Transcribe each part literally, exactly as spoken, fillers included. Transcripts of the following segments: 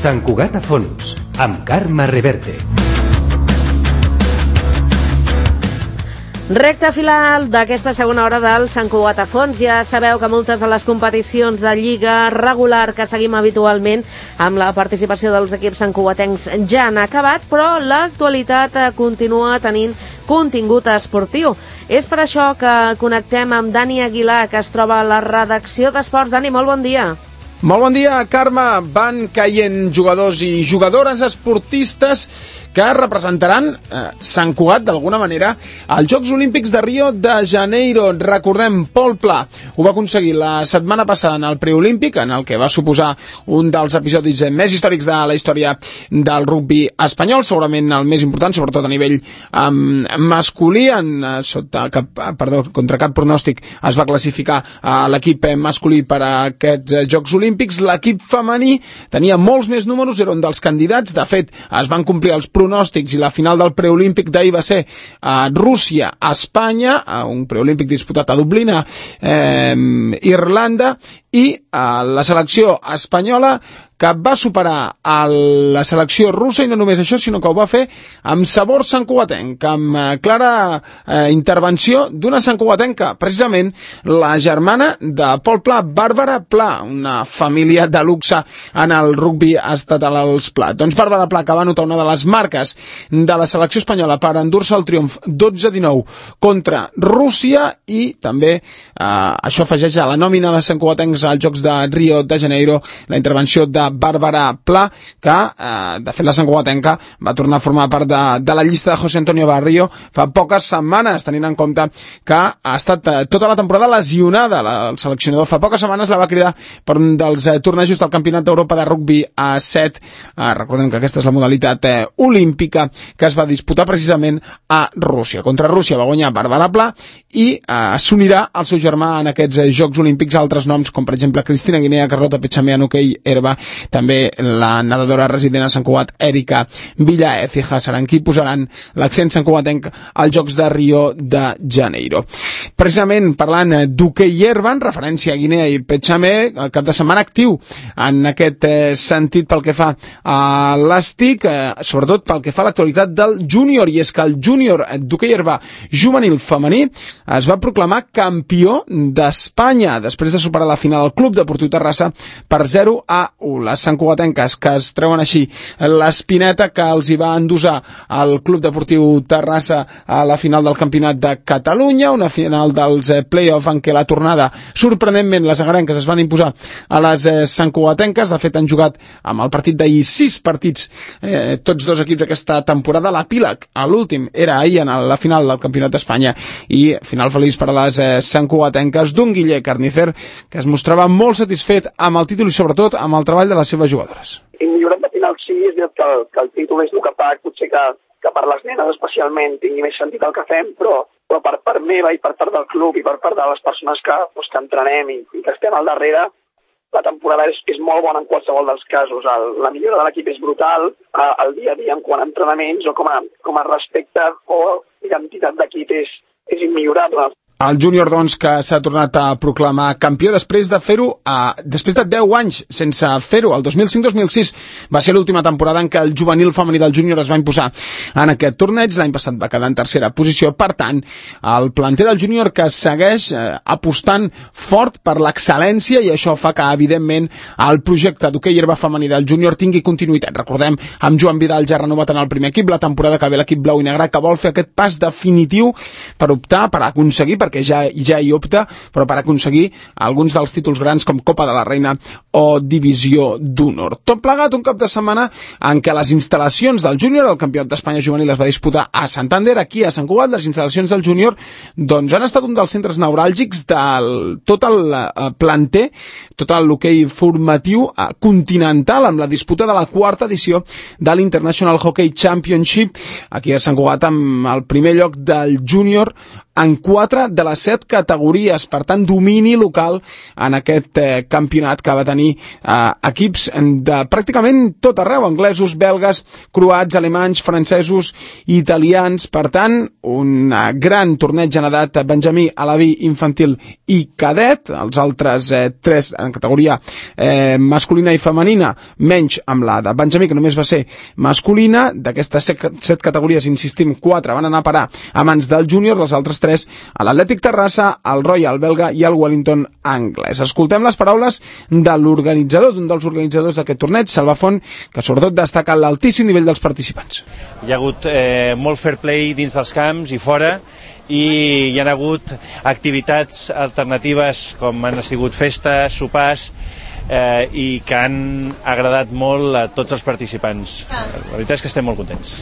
Sant Cugat a fons, amb Carme Reverte. Recte final d'aquesta segona hora del Sant Cugat a fons. Ja sabeu que moltes de les competicions de lliga regular que seguim habitualment amb la participació dels equips santcugatencs ja han acabat, però l'actualitat continua tenint contingut esportiu. És per això que connectem amb Dani Aguilar, que es troba a la redacció d'Esports. Dani, molt bon dia. Molt bon dia, Carme. Van caient jugadors i jugadores esportistes que representaran eh, Sant Cugat d'alguna manera als Jocs Olímpics de Rio de Janeiro. Recordem, Pol Pla ho va aconseguir la setmana passada en el preolímpic, en el que va suposar un dels episodis més històrics de la història del rugbi espanyol, segurament el més important, sobretot a nivell um, masculí. En, sota cap, perdó, contra cap pronòstic es va classificar uh, l'equip masculí per a aquests Jocs Olímpics. L'equip femení tenia molts més números, era un dels candidats. De fet, es van complir els pronòstics i la final del preolímpic d'ahir va ser a Rússia, a Espanya, a un preolímpic disputat a Dublín, a eh, Irlanda, i a la selecció espanyola que va superar a la selecció russa, i no només això, sinó que ho va fer amb sabor santcugatenc, amb eh, clara eh, intervenció d'una santcugatenca, precisament la germana de Pol Pla, Bàrbara Pla, una família de luxe en el rugbi estatal als Pla. Doncs Bàrbara Pla, que va anotar una de les marques de la selecció espanyola per endur-se el triomf dotze a dinou contra Rússia, i també eh, això afegeix a la nòmina de santcugatencs als Jocs de Rio de Janeiro la intervenció de Bàrbara Pla, que eh, de fet la santcugatenca va tornar a formar part de, de la llista de José Antonio Barrio fa poques setmanes, tenint en compte que ha estat eh, tota la temporada lesionada. La, el seleccionador fa poques setmanes la va cridar per un dels eh, tornejos del Campionat d'Europa de rugbi a set. Eh, recordem que aquesta és la modalitat eh, olímpica que es va disputar precisament a Rússia. Contra Rússia va guanyar Bàrbara Pla i eh, s'unirà al seu germà en aquests eh, Jocs Olímpics altres noms, com per exemple Cristina Guinea, Carlota Pechamé en hoquei herba, també la nedadora resident a Sant Cugat, Erika Villaécija, seran qui posaran l'accent santcugatenc als Jocs de Rio de Janeiro. Precisament parlant d'hoquei herba, en referència a Guinea i Pechamé, el cap de setmana actiu en aquest eh, sentit pel que fa a l'ESTIC, eh, sobretot pel que fa a l'actualitat del júnior, i és que el júnior d'hoquei herba juvenil femení es va proclamar campió d'Espanya després de superar la final del Club Deportiu Terrassa per zero a u. Les santcugatenques, que es treuen així l'espineta que els hi va endosar el Club Deportiu Terrassa a la final del Campionat de Catalunya, una final dels eh, play-off en què la tornada, sorprenentment, les agarenques es van imposar a les eh, santcugatenques. De fet, han jugat amb el partit d'ahir sis partits, eh, tots dos equips aquesta temporada. L'epíleg, a l'últim, era ahir en la final del Campionat d'Espanya, i final feliç per a les eh, santcugatenques d'un Guille Carnicer, que es mostrava molt satisfet amb el títol i sobretot amb el treball de les seves jugadores. I millorant de final sí, és veritat que, el, que el títol és el que fa potser que, que per les nenes especialment tingui més sentit el que fem, però, però per part meva i per part del club i per part de les persones que, doncs, que entrenem i, i que estem al darrere, la temporada és, és molt bona en qualsevol dels casos. El, la millora de l'equip és brutal, eh, el dia a dia en quant a entrenaments o com a, com a respecte o identitat d'equip és, és immillorable. El júnior, doncs, que s'ha tornat a proclamar campió després de fer-ho, eh, després de deu anys sense fer-ho. El dos mil cinc dos mil sis va ser l'última temporada en què el juvenil femení del júnior es va imposar en aquest torneig. L'any passat va quedar en tercera posició. Per tant, el planter del júnior que segueix eh, apostant fort per l'excel·lència, i això fa que, evidentment, el projecte d'hoquei herba femení del júnior tingui continuïtat. Recordem, amb Joan Vidal ja renovat en el primer equip, la temporada que ve l'equip blau i negre, que vol fer aquest pas definitiu per optar, per aconseguir, perquè ja, ja hi opta, però per aconseguir alguns dels títols grans com Copa de la Reina o Divisió d'Honor. Tot plegat un cap de setmana en què les instal·lacions del júnior, el Campionat d'Espanya juvenil es va disputar a Santander, aquí a Sant Cugat. Les instal·lacions del júnior doncs han estat un dels centres neuràlgics de tot el planter, tot l'hoquei formatiu continental, amb la disputa de la quarta edició de l'International Hockey Championship, aquí a Sant Cugat, amb el primer lloc del júnior en quatre de les set categories, per tant domini local en aquest eh, campionat que va tenir eh, equips de pràcticament tot arreu, anglesos, belgues, croats, alemanys, francesos, italians, per tant un gran torneig en edat benjamí, alaví, infantil i cadet, els altres eh, tres en categoria eh, masculina i femenina, menys amb la de benjamí, que només va ser masculina. D'aquestes set, set categories, insistim, quatre van anar a parar a mans del júnior, les altres tres a l'Atlètic Terrassa, el Royal belga i el Wellington anglès. Escoltem les paraules de l'organitzador, d'un dels organitzadors d'aquest torneig, Salva Font, que sobretot destaca l'altíssim nivell dels participants. Hi ha hagut eh, molt fair play dins dels camps i fora, i hi ha hagut activitats alternatives com han sigut festes, sopars, eh, i que han agradat molt a tots els participants. La veritat és que estem molt contents.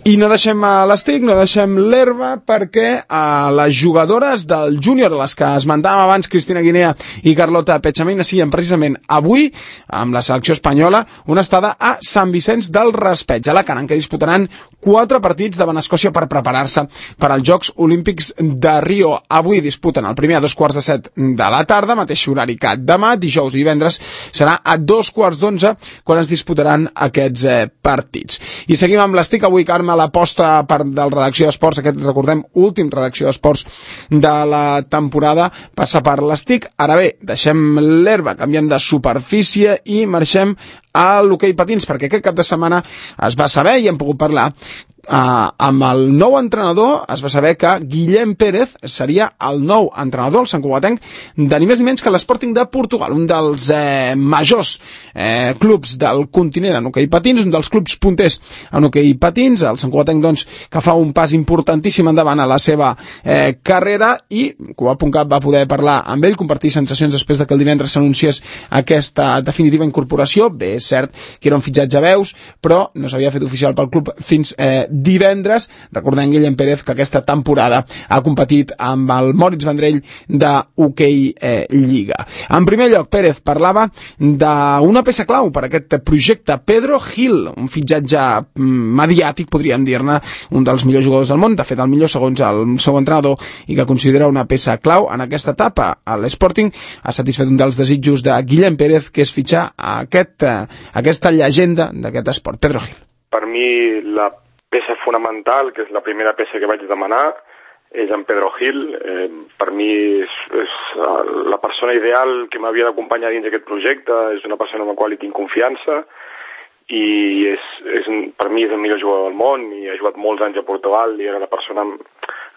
I no deixem l'estic, no deixem l'herba, perquè a les jugadores del júnior, les que esmentàvem abans, Cristina Guinea i Carlota Pechamina, siguen precisament avui, amb la selecció espanyola, una estada a Sant Vicenç del Raspeig, a Alacant, que disputaran quatre partits davant Escòcia per preparar-se per als Jocs Olímpics de Rio. Avui disputen el primer a dos quarts de set de la tarda, mateix horari que demà, dijous i divendres serà a dos quarts d'onze quan es disputaran aquests eh, partits. I seguim amb l'estic avui, Carme, l'aposta per del redacció d'esports, aquest, recordem, últim redacció d'esports de la temporada, passa per l'estic. Ara bé, deixem l'herba, canviem de superfície i marxem a l'hoquei patins, perquè aquest cap de setmana es va saber i hem pogut parlar Uh, amb el nou entrenador. Es va saber que Guillem Pérez seria el nou entrenador, el santcugatenc, de ni més ni menys que l'Sporting de Portugal, un dels eh, majors eh, clubs del continent en hoquei patins, un dels clubs punters en hoquei patins, el santcugatenc, doncs, que fa un pas importantíssim endavant a la seva eh, carrera, i Cuba.cat va poder parlar amb ell, compartir sensacions després de que el divendres s'anunciés aquesta definitiva incorporació. Bé, és cert que era un fitxatge a veus, però no s'havia fet oficial pel club fins eh, divendres. Recordem, Guillem Pérez, que aquesta temporada ha competit amb el Moritz Vendrell de hoquei eh, Lliga. En primer lloc, Pérez parlava d'una peça clau per aquest projecte, Pedro Gil, un fitxatge mediàtic, podríem dir-ne, un dels millors jugadors del món, de fet el millor segons el seu entrenador, i que considera una peça clau en aquesta etapa. L'Sporting ha satisfet un dels desitjos de Guillem Pérez, que és fitxar aquest, aquesta llegenda d'aquest esport, Pedro Gil. Per mi, la peça fonamental, que és la primera peça que vaig demanar, és en Pedro Gil. Eh, per mi és, és la persona ideal que m'havia d'acompanyar dins d'aquest projecte, és una persona amb la qual hi tinc confiança, i és, és, per mi és el millor jugador del món, i ha jugat molts anys a Portugal, i era la persona amb,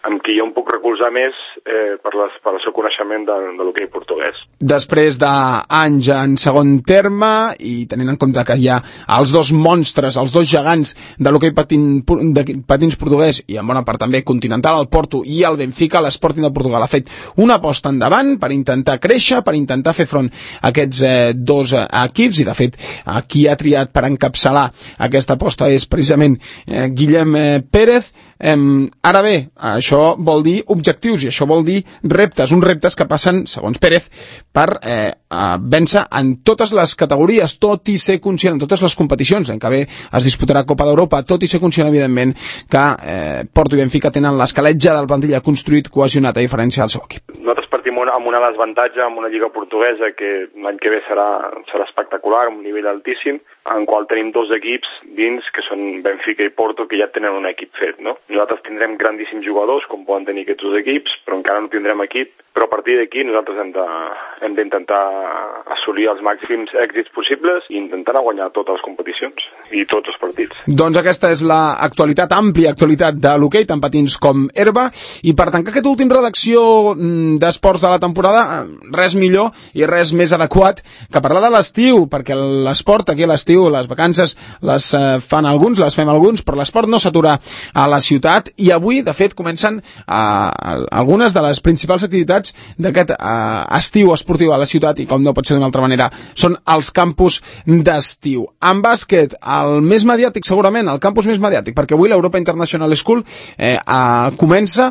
amb qui jo em puc recolzar més eh, per, les, per el seu coneixement de, de l'hoquei portuguès. Després d'anys en segon terme, i tenint en compte que hi ha els dos monstres, els dos gegants de l'hoquei patin, de patins portuguès, i en bona part també continental, el Porto i el Benfica, l'Sporting de Portugal ha fet una aposta endavant per intentar créixer, per intentar fer front a aquests eh, dos eh, equips, i de fet eh, qui ha triat per encapçalar aquesta aposta és precisament eh, Guillem eh, Pérez. Eh, ara bé, això vol dir objectius, i això vol dir reptes, uns reptes que passen, segons Pérez, per eh, vèncer en totes les categories, tot i ser conscient en totes les competicions en què bé es disputarà Copa d'Europa, tot i ser conscient, evidentment, que eh, Porto i Benfica tenen l'esqueletge del plantilla construït, cohesionat, a diferència del seu equip. Nosaltres partim amb un desavantatge amb una lliga portuguesa que l'any que ve serà, serà espectacular, amb un nivell altíssim, en qual tenim dos equips dins, que són Benfica i Porto, que ja tenen un equip fet, no? Nosaltres tindrem grandíssims jugadors, com poden tenir aquests dos equips, però encara no tindrem equip, però a partir d'aquí nosaltres hem de, hem d'intentar assolir els màxims èxits possibles i intentar guanyar totes les competicions i tots els partits. Doncs aquesta és l'actualitat, àmplia actualitat de l'hoquei, tant patins com herba, i per tancar aquest últim redacció d'esports de la temporada, res millor i res més adequat que parlar de l'estiu, perquè l'esport aquí a l'estiu, les vacances les eh, fan alguns, les fem alguns, però l'esport no s'atura a la ciutat, i avui, de fet, comencen eh, algunes de les principals activitats d'aquest eh, estiu esportiu a la ciutat, i com no pot ser d'una altra manera, són els campus d'estiu. En bàsquet, el més mediàtic segurament, el campus més mediàtic, perquè avui l'Europa International School eh, eh, comença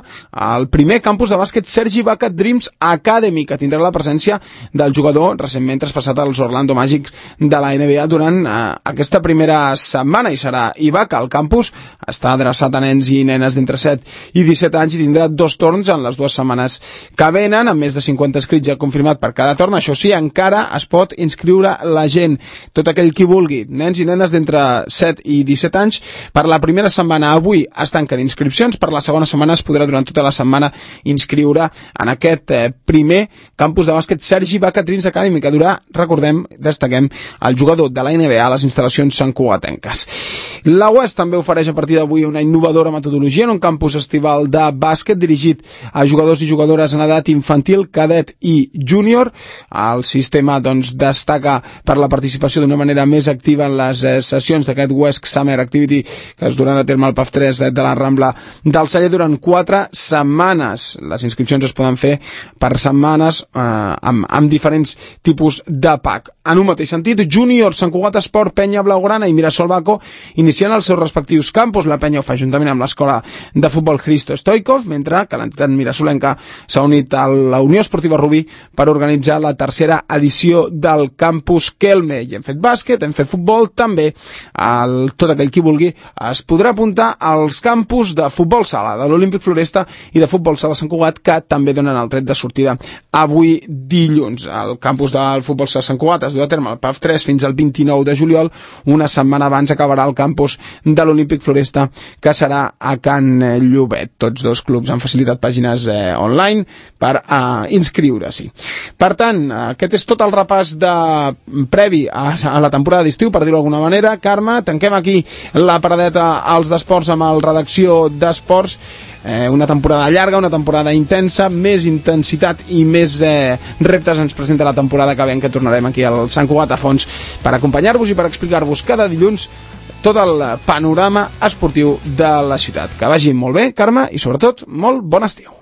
el primer campus de bàsquet Sergi Baca Dreams Academy, que tindrà la presència del jugador recentment traspassat als Orlando Magic de la N B A durant eh, aquesta primera setmana, i serà IVACA. El campus està adreçat a nens i nenes d'entre set i disset anys i tindrà dos torns en les dues setmanes que venen, amb més de cinquanta escrits ja confirmat per cada torn. Això sí, encara es pot inscriure la gent, tot aquell qui vulgui, nens i nenes d'entre set i disset anys. Per la primera setmana avui es tanquen inscripcions, per la segona setmana es podrà durant tota la setmana inscriure en aquest eh, primer campus de bàsquet Sergi Ibaka Dreams Academy, que durà, recordem, destaquem, el jugador de la N B A a les instal·lacions santcugatenques. La U E S també ofereix a partir d'avui una innovadora metodologia en un campus estival de bàsquet dirigit a jugadors i jugadores en edat infantil, cadet i júnior. El sistema doncs, destaca per la participació d'una manera més activa en les eh, sessions d'aquest U E S C Summer Activity que es duran a terme al P A F tres de la Rambla del Celler durant quatre setmanes. Les inscripcions es poden fer per setmanes eh, amb, amb diferents tipus de pack. En un mateix sentit, Júnior, Sant Cugat Esport, Penya Blaugrana i Mirasol Baco iniciant els seus respectius campus. La Penya ho fa juntament amb l'escola de futbol Hristo Stoikov, mentre que l'entitat mirasolenca s'ha unit a la Unió Esportiva Rubí per organitzar la tercera edició del campus Kelme. I hem fet bàsquet, hem fet futbol, també el, tot aquell qui vulgui es podrà apuntar als campus de futbol sala de l'Olímpic Floresta i de futbol sala Sant Cugat, que també donen el tret de sortida avui dilluns. El campus del futbol sala Sant Cugat es du a terme al P A F tres fins al vint-i-nou de juliol. Una setmana abans acabarà el campus de l'Olímpic Floresta, que serà a Can Llobet. Tots dos clubs han facilitat pàgines eh, online per eh, inscriure-s'hi. Per tant, aquest és tot el repàs de previ a, a la temporada d'estiu, per dir-ho d'alguna manera. Carme, tanquem aquí la paradeta als d'esports amb el redacció d'esports. Eh, una temporada llarga, una temporada intensa, més intensitat i més eh, reptes ens presenta la temporada que ve, que tornarem aquí al Sant Cugat a fons per acompanyar-vos i per explicar-vos cada dilluns tot el panorama esportiu de la ciutat. Que vagi molt bé, Carme, i sobretot molt bon estiu.